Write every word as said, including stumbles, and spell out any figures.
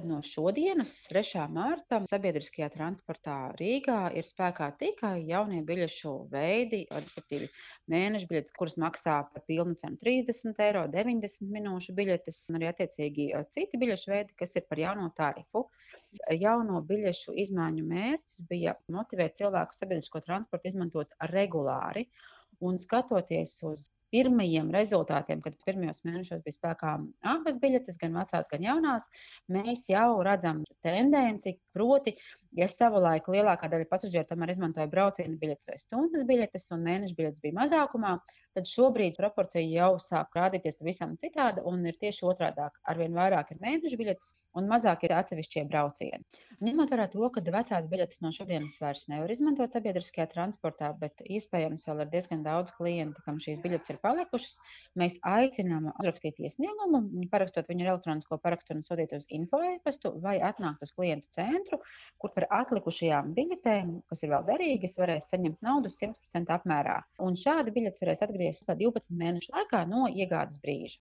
No šodienas, trešā mārta, sabiedriskajā transportā Rīgā ir spēkā tikai jaunie biļešu veidi, respektīvi mēneša biļetes, kuras maksā par pilnu cenu trīsdesmit eiro, deviņdesmit minūšu biļetes un arī attiecīgi eh, citi biļešu veidi, kas ir par jauno tarifu. Jauno biļešu izmaiņu mērķis bija motivēt cilvēku sabiedrisko transportu izmantot regulāri. Un skatoties uz pirmajiem rezultātiem, kad pirmajos mēnešos bija spēkā abas biļetes, gan vecās, gan jaunās, mēs jau redzam tendenci, proti, ja savulaik lielākā daļa pasažieru tomēr izmantoja brauciena biļetes vai stundas biļetes un mēneša biļetes bija mazākumā, tad šobrīd proporcija jau sāk rādīties pavisam citāda un ir tieši otrādāk. Arvien vairāk ir mēneša biļetes un mazāk ir atsevišķie braucieni. Ņemot vērā to, ka vecās biļetes no šodienas vairs nevar izmantot sabiedriskajā transportā, bet iespējams vēl ir diezgan daudz klientu, kam šīs biļetes ir palikušas, mēs aicinām uzrakstīt iesniegumu, parakstot viņu ar elektronisko parakstu un sūtīt uz info e-pastu vai atnākt uz klientu centru, kur par atlikušajām biļetēm, kas ir vēl derīgas, varēs saņemt naudu simt procenti apmērā. Un šādi biļetes varēs atgriezties divpadsmit mēnešu laikā no iegādes brīža.